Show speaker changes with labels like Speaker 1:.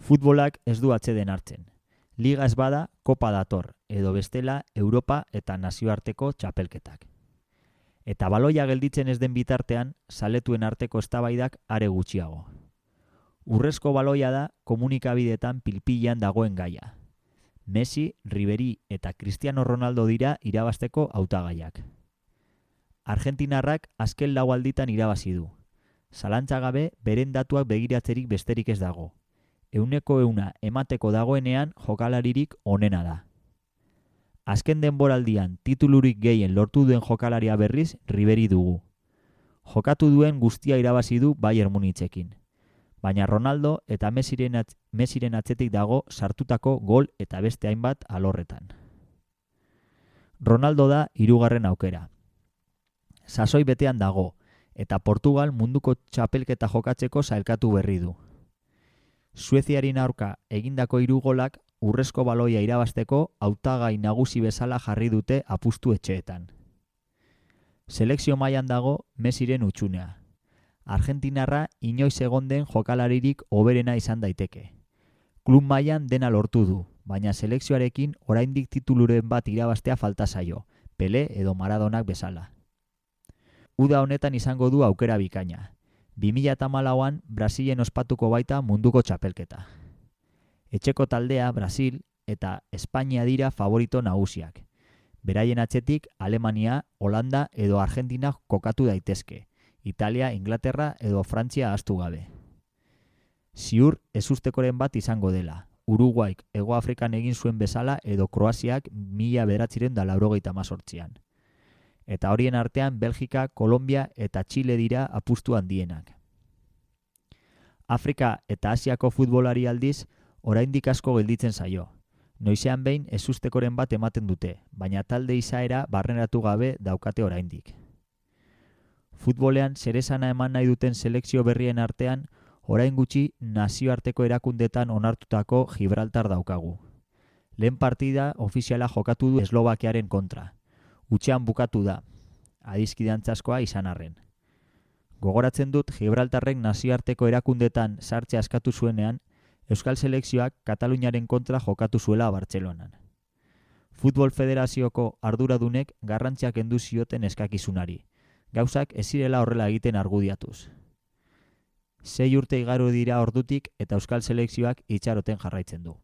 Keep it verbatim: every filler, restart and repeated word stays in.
Speaker 1: Futbolak ez du atseden hartzen. Liga ez bada, kopa dator, edo bestela Europa eta nazioarteko txapelketak. Eta baloia gelditzen ez den bitartean, zaletuen arteko eztabaidak are gutxiago. Urrezko baloia da komunikabideetan pilpilean dagoen gaia. Messi, Ribéry eta Cristiano Ronaldo dira irabazteko hautagaiak. Argentinarrak azken lau alditan irabazi du. Zalantza gabe beren datuak begiratzerik besterik ez dago. Euneko euna emateko dagoenean jokalaririk onena da. Azken denboraldian titulurik gehien lortu duen jokalaria berriz Ribéry dugu. Jokatu duen guztia irabazi du Bayern Munichekin. Baina Ronaldo eta Messiren, atz- Messiren atzetik dago sartutako gol eta beste hainbat alorretan. Ronaldo da hirugarren aukera. Sasoi betean dago, eta Portugal munduko txapelketa jokatzeko sailkatu berri du. Sueziaren aurka egindako hiru golak urrezko baloia irabazteko hautagai nagusi bezala jarri dute apustu etxeetan. Selekzio mailan dago Messiren utxunea. Argentinarra inoiz egon den jokalaririk hoberena izan daiteke. Klub mailan dena lortu du, baina selekzioarekin oraindik tituluren bat irabaztea falta zaio, Pele edo Maradonak bezala. Uda honetan izango du aukera bikaina. bi mila hamalauan Brasilen ospatuko baita munduko txapelketa. Etxeko taldea Brasil eta Espainia dira favorito nagusiak. Beraien atzetik Alemania, Holanda edo Argentina kokatu daitezke. Italia, Inglaterra edo Frantzia ahaztu gabe. Ziur ezustekoren bat izango dela. Uruguaik Hego Afrikan egin zuen bezala edo Kroaziak mila bederatziehun eta laurogeita hemezortzian. Eta horien artean Belgika, Kolombia eta Txile dira apustu handienak. Afrika eta Asiako futbolari aldiz oraindik asko gelditzen zaio. Noizean behin ezustekoren bat ematen dute, baina talde izaera barneratu gabe daukate oraindik. Futbolean zeresana eman nahi duten selekzio berrien artean, orain gutxi nazioarteko erakundetan onartutako Gibraltar daukagu. Lehen partida ofiziala jokatu du Eslovakiaren kontra. Utxean bukatu da, adizkidantzaskoa izan arren. Gogoratzen dut Gibraltarrek nazioarteko erakundetan sartzea askatu zuenean, Euskal Selekzioak Kataluniaren kontra jokatu zuela Bartzelonan. Futbol Federazioko arduradunek garrantziak kendu zioten eskakizunari. Gauzak ez zirela horrela egiten argudiatuz. Sei urte igaro dira ordutik eta Euskal Selekzioak itxaroten jarraitzen du.